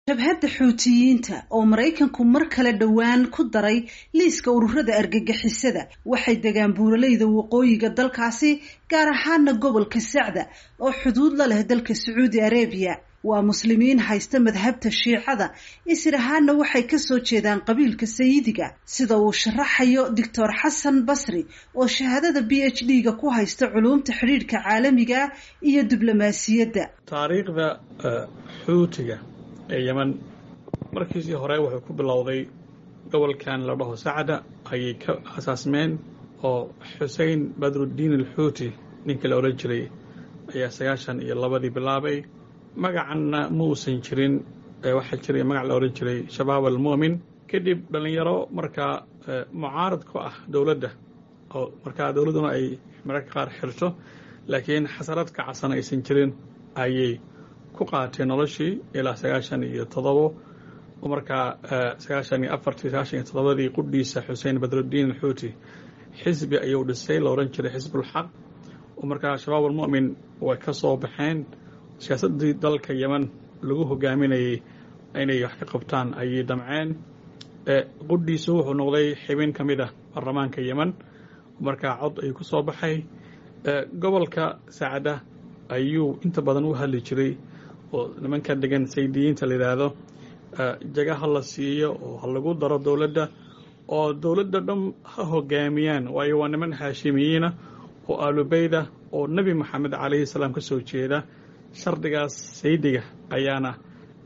Jabhadda Xuutiyiinta oo Maraykanku mar kale dhowaan ku daray liiska ururada argagixisada waxay degaan buuraleyda waqooyiga dalkaasi, gaar ahaana gobolka Sacda oo xuduud la leh dalka Sacuudi Arabiya. Waa Muslimiin haysta madhabta Shiicada, isir ahaana waxay kasoo jeedaan qabiilka Sayidiga, sida uu sharaxayo Doctor Xasan Basri oo shahaadada PhD-ga ku haysta culuumta xidhiidhka caalamiga iyo diblomaasiyadda. Taariikhda Xuutiga ee Yeman markiisii hore wuxuu ku bilowday gobolkan la dhaho Sacda ayay ka asaasmeen, oo Xusein Badruddiin Alxuuti ninka la odhan jiray ayaa 92-dii bilaabay. Magacanna ma uusan jirin, waxaa jiray magac la odhan jiray Shabaab Almu'min. Kadib dhallinyaro markaa mucaarad ku ah dowladda, oo markaa dowladduna ay mararka qaar xirto, laakiin xasarad kacsan aysan jirin, ayay ku qaateen noloshii ilaa 97. Oo markaa 94-tii, 97-dii qudhiisa Xuseen Badruddiin Alxuuti xisbi ayuu dhisay la odhan jiray Xisbulxaq, oo markaa Shabaab Almu'min way ka soo baxeen. Siyaasaddii dalka Yeman lagu hogaaminayay inay wax ka qabtaan ayay damceen. Qudhiisu wuxuu noqday xibin ka mid ah baarlamaanka Yeman, markaa cod ayuu ku soo baxay. Gobolka Sacda ayuu inta badan u hadli jiray, oo nimanka degan Saydiyiinta la yidhaahdo jaga ha la siiyo oo ha lagu daro dowladda, oo dowladda dhan ha hogaamiyaan, waayo waa niman Haashimiyiina oo Aalubeyda oo Nebi Moxamed calayhi salaam ka soo jeeda. Shardigaas saydiga ayaana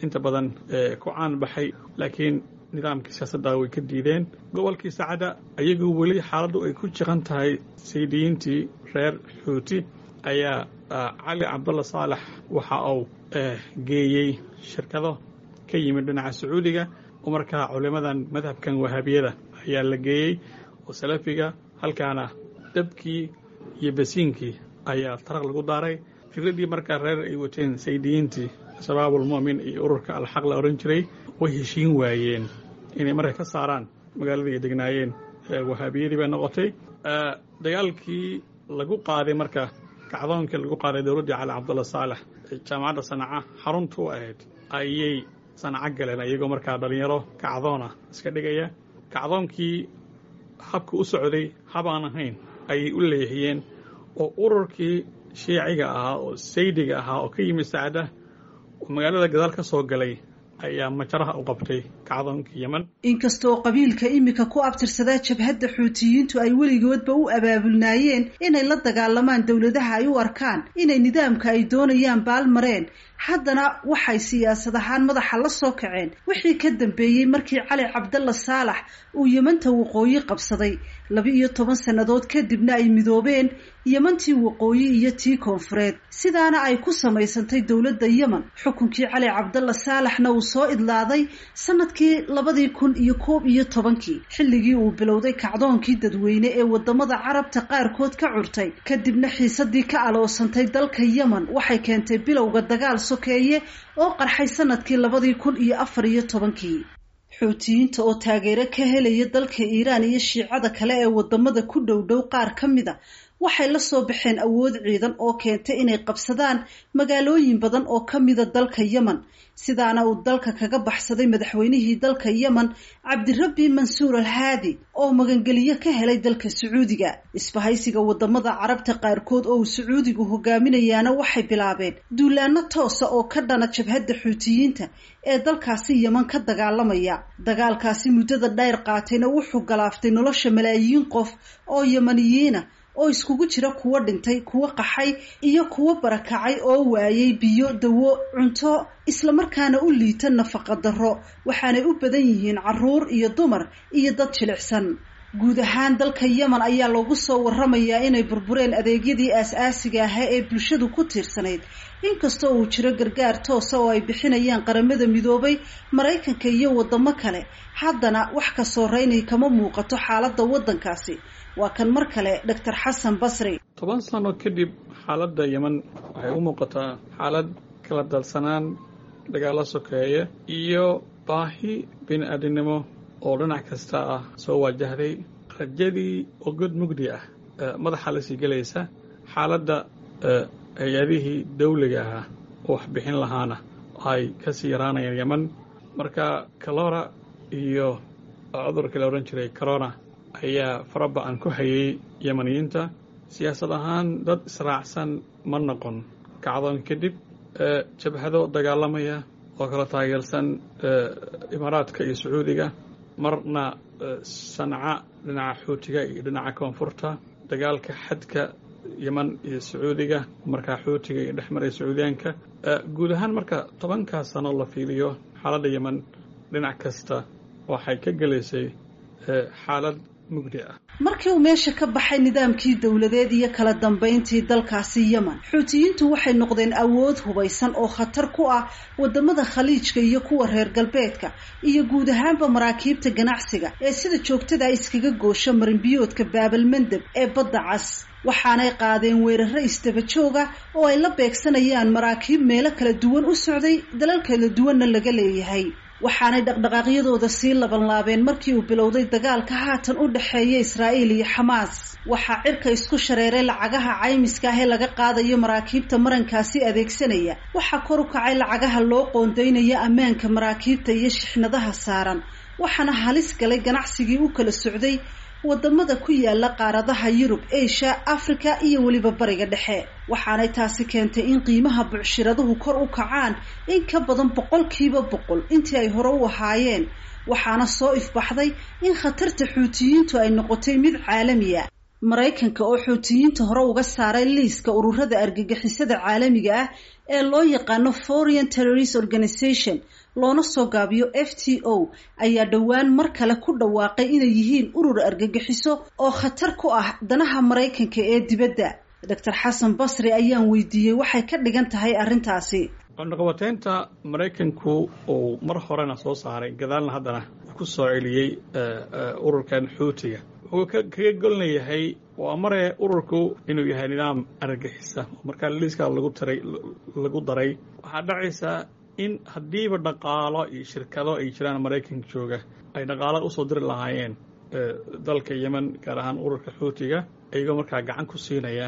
inta badan ku caan baxay, laakiin nidaamkii siyaasadda way ka diideen. Gobolkii Sacda ayagu weli xaaladdu ay ku jiqan tahay saydiyiintii reer Xuuti ayaa Cali Cabdalla Saalax waxa uu geeyey shirkado ka yimid dhinaca Sacuudiga, oo markaa culimadan madhabkan Wahaabiyada ayaa la geeyey oo Salafiga. Halkaana dabkii iyo basiinkii ayaa taraq lagu daaray. Fikraddii markaa reer ay wateen saydiyiintii Shabaabulmu'min iyo ururka Alxaq la odhan jiray way heshiin waayeen inay marka ka saaraan magaaladii ay degnaayeen Wahaabiyadii bay noqotay. Dagaalkii lagu qaaday marka, kacdoonkii lagu qaaday dowladdii Cali Cabdulla Saalax, jaamacadda Sanaca xaruntu u ahayd ayay Sanaco galeen, iyagoo markaa dhallinyaro kacdoona iska dhigaya. Kacdoonkii habka u socday habaan ahayn ayay u leexiyeen, oo ururkii Shiiciga ahaa oo Saydiga ahaa oo ka yimid Sacda oo magaalada gadaal ka soo galay ayaa majaraha u qabtay kacdoonkii Yeman. Inkastoo qabiilka iminka ku abtirsadaa jabhadda Xuutiyiintu ay weligoodba u abaabulnaayeen inay la dagaalamaan dowladaha ay u arkaan inay nidaamka ay doonayaan baalmareen, haddana waxay siyaasad ahaan madaxa la soo kaceen wixii ka dambeeyey markii Cali Cabdalla Saalax uu Yemanta waqooyi qabsaday, 12 sannadood kadibna ay midoobeen Yemantii waqooyi iyo tii koonfureed, sidaana ay ku samaysantay dowladda Yemen. Xukunkii Cali Cabdalla Saalaxna uu soo idlaaday sanadkii 2011-kii, xilligii uu bilowday kacdoonkii dadweyne ee wadamada Carabta qaarkood ka curtay. Kadibna xiisadii ka aloosantay dalka Yemen waxay keentay bilowga dagaal sokeeye oo qarxay sanadkii 2014-kii. Xuutiyiinta oo taageero ka helaya dalka Iiraan iyo Shiicada kale ee wadamada ku dhow dhow qaar ka mida waxay la soo baxeen awood ciidan oo keentay inay qabsadaan magaalooyin badan oo ka mida dalka Yemen, sidaana uu dalka kaga baxsaday madaxweynihii dalka Yemen Cabdirabbi Mansuur Al Haadi oo magangeliyo ka helay dalka Sacuudiga. Isbahaysiga wadamada Carabta qaarkood oo uu Sacuudigu hogaaminayaana waxay bilaabeen duulaano toosa oo ka dhana jabhadda Xuutiyiinta ee dalkaasi Yemen ka dagaalamaya. Dagaalkaasi muddada dheer qaatayna wuxuu galaaftay nolosha malaayiin qof oo Yemaniyiina, oo iskugu jira kuwo dhintay, kuwo qaxay iyo kuwo barakacay, oo waayay biyo, dawo, cunto, islamarkaana u liita nafaqa darro, waxaanay u badan yihiin caruur iyo dumar iyo dad jilicsan. Guud ahaan dalka Yemen ayaa loogu soo waramayaa inay burbureen adeegyadii aas-aasiga ahaa ee bulshadu ku tiirsanayd, inkastoo uu jiro gargaar toosa oo ay bixinayaan Qaramada Midoobay, Maraykanka iyo wadamo kale, haddana wax ka soo reynay kama muuqato xaaladda waddankaasi. Waa kan mar kale Doctor Xasan Basri. 10 sano kadib xaaladda Yemen waxay u muuqataa xaalad kala dalsanaan, dagaalo sokeeye iyo baahi bini aadinimo oo dhinac kasta ah soo waajahday. Rajadii oo god mugdi ah madaxa la sii gelaysa, xaaladda hay-adihii dawliga ahaa oo wax bixin lahaana ay ka sii yaraanayaan Yeman. Marka kalora iyo cudurkii la odhan jiray corona ayaa faraba-an ku hayay Yemaniyiinta. Siyaasad ahaan dad israacsan ma noqon kacdoon kadib, jabhado dagaalamaya oo kala taageersan Imaaraadka iyo Sacuudiga, marna Sanca dhinaca Xuutiga iyo dhinaca koonfurta, dagaalka xadka Yeman iyo Sacuudiga, markaa Xuutiga iyo dhex maray Sacuudiyaanka. Guud ahaan marka 10kaas sano la fiiriyo, xaaladda Yeman dhinac kasta waxay ka gelaysay xaalad mugdi ah. Markii uu meesha ka baxay nidaamkii dowladeed iyo kala dambayntii dalkaasi Yemen, Xuutiyiintu waxay noqdeen awood hubaysan oo khatar ku ah wadamada Khaliijka iyo kuwa reer galbeedka iyo guud ahaanba maraakiibta ganacsiga ee sida joogtada iskaga goosha marinbiyoodka Baabalmandeb ee Badda Cas. Waxaanay qaadeen weeraro isdaba jooga oo ay la beegsanayaan maraakiib meelo kala duwan u socday, dalal kala duwanna laga leeyahay. Waxaanay dhaqdhaqaaqyadooda sii labanlaabeen markii uu bilowday dagaalka haatan u dhexeeya Israa'iil iyo Xamaas. Waxaa cirka isku shareeray lacagaha caymiska ah ee laga qaadayo maraakiibta marankaasi adeegsanaya. Waxaa kor u kacay lacagaha loo qoondaynaya ammaanka maraakiibta iyo shixnadaha saaran, waxaana halis galay ganacsigii u kala socday wadamada ku yaala qaaradaha Yurub, Asia, Africa iyo weliba Bariga Dhexe. Waxaanay taasi keentay in qiimaha bucshiraduhu kor u kacaan in ka badan 100% intii ay hore u ahaayeen. Waxaana soo ifbaxday in khatarta Xuutiyiintu ay noqotay mid caalamiya. Maraykanka oo Xuutiyiinta hore uga saaray liiska ururada argagixisada caalamiga ah ee loo yaqaano Foreign Terrorist Organization, loona soo gaabiyo FTO, ayaa dhowaan mar kale ku dhawaaqay inay yihiin urur argagixiso oo khatar ku ah danaha Maraykanka ee dibadda. Doctor Xasan Basri ayaan weydiiyey waxay ka dhigan tahay arrintaasi. Cunaqabateynta Maraykanku uu mar horena soo saaray, gadaalna haddana ku soo celiyey ururkan Xuutiga, wuxuu kaga golnayahay waa mare ururku inuu yahay nidaam argagixisa. Markaa liiskaa lagu taray lagu daray, waxaa dhacaysaa in haddiiba dhaqaalo iyo shirkado ay jiraan Maraykanka jooga ay dhaqaalo usoo diri lahaayeen dalka Yemen, gaar ahaan ururka Xuutiga, iyagoo markaa gacan ku siinaya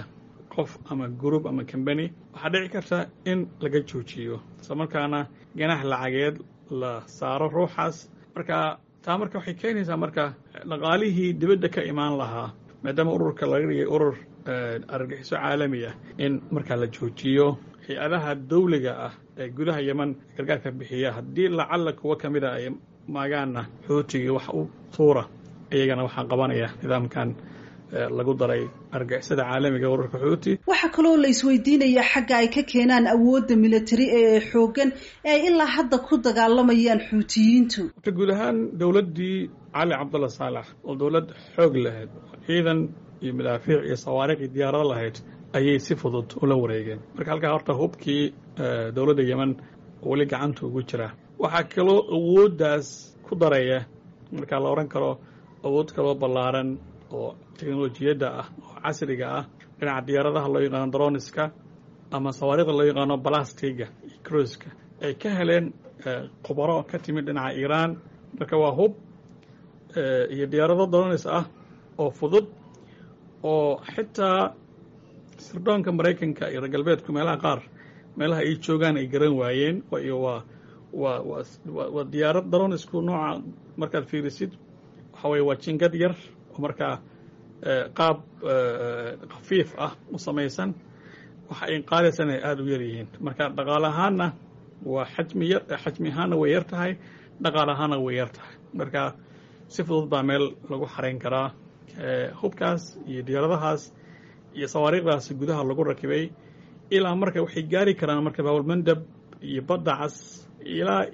qof ama group ama company, waxaa dhici karta in laga joojiyo, isla markaana ganax lacageed la saaro ruuxaas. Marka taa marka waxay keenaysaa marka dhaqaalihii dibadda ka imaan lahaa, maadaama ururka laga dhigay urur argagixiso caalami ah, in markaa la joojiyo. Hay-adaha dawliga ah ee gudaha Yeman gargaarka bixiya, haddii lacalla kuwo ka mida ay maagaanna Xuutigii wax u tuura, iyagana waxaa qabanaya nidaamkan lagu daray argagixisada caalamiga ururka Xuuti. Waxaa kaloo la isweydiinayaa xagga ay ka keenaan awoodda militari ee xooggan ee ay ilaa hadda ku dagaalamayaan Xuutiyiintu. Horta guud ahaan dowladdii Cali Cabdalla Saalax oo dowlad xoog lahayd, ciidan iyo madaafiic iyo sawaariikh iyo diyaarado lahayd, ayay si fudud ula wareegeen. Marka halkaa horta hubkii dowladda Yemen weli gacanta ugu jira. Waxaa kaloo awooddaas ku daraya, markaa la odhan karo awood kaloo ballaaran oo teknolojiyadda ah oo casriga ah, dhinaca diyaaradaha loo yaqaano droniska ama sawaariikhda loo yaqaano balastiga iyo cruiska, ay ka heleen khubaro ka timid dhinaca Iiraan. Marka waa hub iyo diyaarado dronis ah oo fudud oo xitaa sirdoonka Maraykanka iyo reer galbeedku meelaha qaar meelaha ay joogaan ay garan waayeen. Iyo waa diyaarad dronisku nooca markaad fiirisid waxa weye waa jingad yar oo markaa qaab khafiif ah u samaysan, waxa ay qaadaysana ay aada u yar yihiin. Marka dhaqaale ahaanna waa xajmi yar, xajmi ahaanna way yar tahay, dhaqaale ahaanna way yar tahay. Marka si fudud baa meel lagu xarayn karaa hubkaas iyo diyaaradahaas iyo sawaariikhdaas gudaha lagu rakibay. Ilaa marka waxay gaari karaan marka Baabalmandab iyo Badda Cas ilaa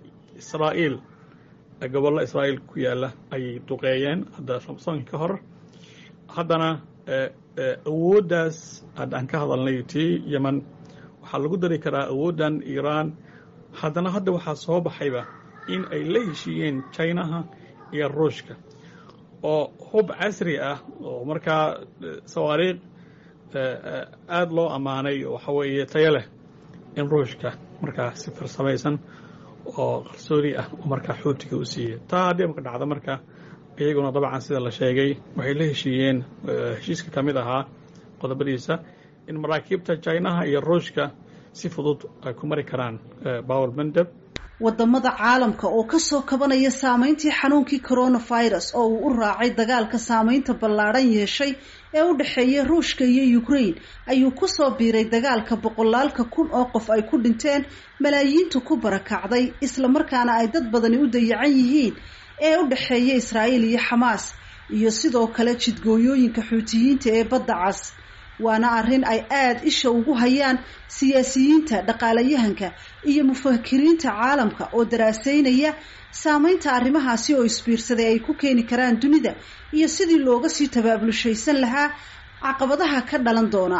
Israa'iil, gobollo Israa'iil ku yaalla ayay duqeeyeen hadda Samson ka hor. Haddana awooddaas hadda aan ka hadalnay tii Yemen waxaa lagu dari karaa awooddan Iiraan. Haddana hadda waxaa soo baxayba in ay la heshiiyeen Chinaha iyo Ruushka oo hub casri ah oo markaa sawaariikh aada loo ammaanay oo waxa weeye tayo leh in Ruushka markaa si farsamaysan oo qarsoodi ah oo markaa Xuutiga u siiyey. Taa haddii marka dhacda, marka iyaguna dabcan sida la sheegay waxay la heshiiyeen, heshiiska ka mid ahaa qodobadiisa in maraakiibta Chinaha iyo Ruushka si fudud ay ku mari karaan Bawel Mandeb. Wadamada caalamka oo kasoo kabanaya saameyntii xanuunkii coronavirus oo uu u raacay dagaalka saameynta ballaadhan yeeshay ee u dhexeeya Ruushka iyo Ukraine ayuu kusoo biiray dagaalka boqolaalka kun oo qof ay ku dhinteen, malaayiintu ku barakacday, islamarkaana ay dad badani u dayacan yihiin ee u dhexeeya Israa'iil iyo Xamaas, iyo sidoo kale jidgooyooyinka Xuutiyiinta ee Badda Cas. Waana arrin ay aada isha ugu hayaan siyaasiyiinta, dhaqaalayahanka iyo mufakiriinta caalamka oo daraaseynaya saameynta arrimahaasi oo isbiirsaday ay ku keeni karaan dunida iyo sidii looga sii tabaabulshaysan lahaa caqabadaha ka dhalan doona.